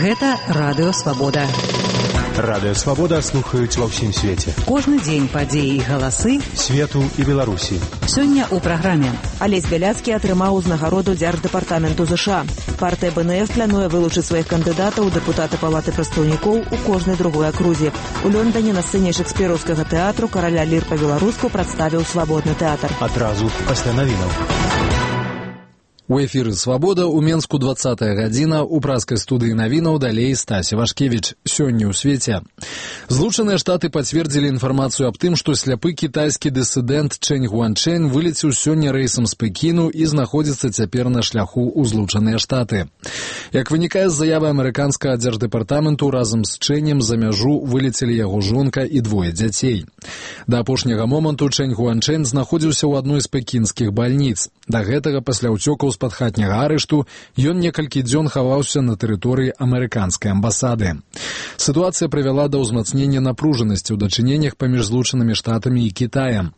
Гэта Радыё Свабода. Радыё Свабода слухаюць ва ўсім свеце. Кожны дзень падзеі і галасы свету і Беларусі. Сёння ў праграме. Алесь Бяляцкі атрымаў узнагароду Дзярждэпартаменту ЗША. Партыя БНФ плануе вылучыць сваіх кандыдатаў у дэпутаты Палаты прадстаўнікоў у кожнай другой акрузе. У Лондоне на сцэне шекспіраўскага тэатру караля лір па-беларуску прадставіў свабодны тэатр. Адразу пасля навінаў. У эфіры «Свабода» у Менску 20-я гадзіна, у праскай студыі навінаў далей Стася Вашкевіч. Сёння ў свеце. Злучаныя Штаты пацвердзілі інфармацыю аб тым, што сляпы кітайскі дысідэнт Чэнь Гуанчэнь вылецеў сёння рэйсам з Пекіну і знаходзіцца цяпер на шляху ў Злучаныя Штаты. Як вынікае з заявы амерыканскага дзярждэпартаменту, разам з Чэнем за мяжу вылецелі яго жонка і двое дзяцей. Да апошняга моманту Чэнь Гуанчэнь знаходзіўся ў адной з пекінскіх бальніц. Да гэтага пасля ўцёкаў з-пад хатняга арышту ён некалькі дзён хаваўся на тэрыторыі амерыканскай амбасады. Сітуацыя прывяла да ўзмацнення напружанасці ў дачыненнях паміж Злучанымі Штатамі і Кітаем.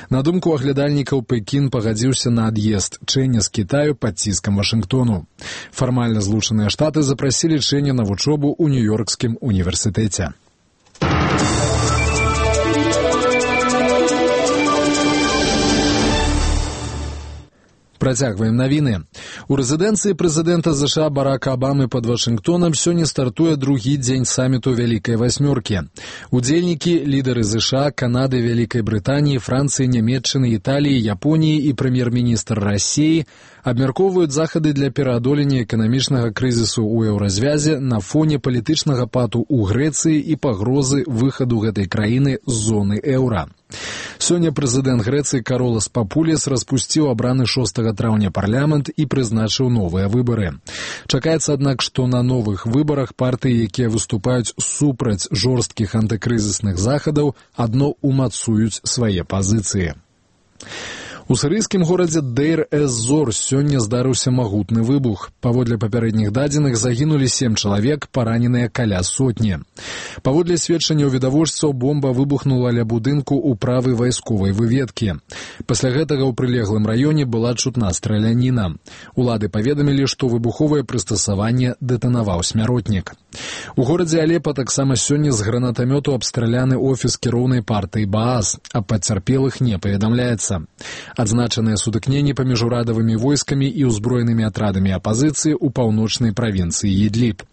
На думку аглядальнікаў, Пекін пагадзіўся на ад'езд Чэня з Кітаю пад ціскам Вашынгтону. Фармальна Злучаныя Штаты запрасілі Чэня на вучобу ў Нью-Йоркскім універсітэце. Працягваем навіны. У рэзідэнцыі прэзідэнта ЗША Барака Абамы пад Вашынгтонам сёння стартуе другі дзень саміту Вялікай Васьмёркі. Удзельнікі, лідары ЗША, Канады, Вялікай Брытаніі, Францыі, Нямецчыны, Італіі, Японіі і прэм'ер-міністр Расіі абмяркоўваюць захады для пераадолення эканамічнага крызісу ў еўразвязе на фоне палітычнага пату ў Грэцыі і пагрозы выхаду гэтай краіны з зоны еўра. Сёння прэзідэнт Грэцыі Каролас Папуліс распусціў абраны 6 траўня парламент і прызначыў новыя выбары. Чакаецца, аднак, што на новых выбарах партыі, якія выступаюць супраць жорсткіх антыкрызісных захадаў, адно умацуюць свае пазіцыі. У сірыйскім горадзе Дейр-эз-Зор сёння здарыўся магутны выбух. Паводле папярэдніх дадзеных загінулі 7 чалавек, параненыя каля сотні. Паводле сведчанняў відавочцаў, бомба выбухнула ля будынку ў правай вайсковай выведкі. Пасля гэтага ў прылеглым раёне была чутна страляніна. Улады паведамілі, што выбуховае прыстасаванне дэтанаваў смяротнік. У горадзе Алепа таксама сёння з гранатамёту абстраляны офіс кіроўнай партыі Баас, а пацярпелых не паведамляецца. Адзначаныя сутыкненні паміж урадавымі войскамі і ўзброенымі атрадамі апазіцыі ў паўночнай правінцыі Ідліб.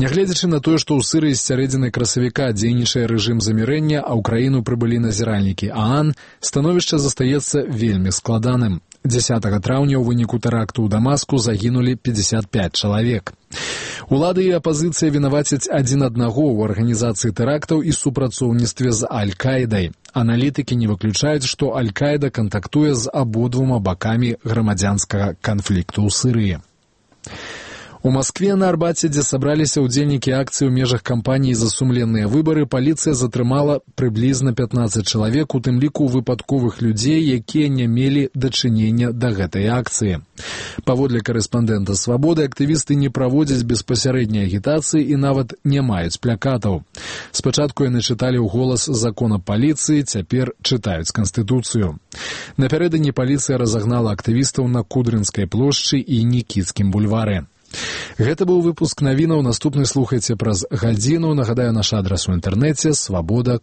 Нягледзячы на тое, што ў Сірыі з сярэдзіны красавіка дзейнічае рэжым замірэння, а ў краіну прыбылі назіральнікі ААН, становішча застаецца вельмі складаным. 10 траўня ў выніку тэракту ў Дамаску загінулі 55 чалавек. Улады і апазіцыя вінавацяць адзін аднаго ў арганізацыі тэрактаў і супрацоўніцтве з Аль-Каідай. Аналітыкі не выключаюць, што Аль-Каіда кантактуе з абодвума бакамі грамадзянскага канфлікту ў Сірыі. У Маскве на Арбаце, дзе сабраліся ўдзельнікі акцыі ў межах кампаніі «За сумленныя выбары», паліцыя затрымала прыблізна 15 чалавек, у тым ліку выпадковых людзей, якія не мелі дачынення да гэтай акцыі. Паводле карэспандэнта «Свабоды», актывісты не праводзяць беспасярэдняй агітацыі і нават не маюць плакатаў. Спачатку яны чыталі ў голас закон аб паліцыі, цяпер чытаюць Канстытуцыю. Напярэдадні паліцыя разагнала актывістаў на Кудрынскай плошчы і Нікітскім бульвары. Гэта быў выпуск навінаў. Наступны слухайце праз гадзіну. Нагадаю, наш адрас у інтэрнэце свабода.орг.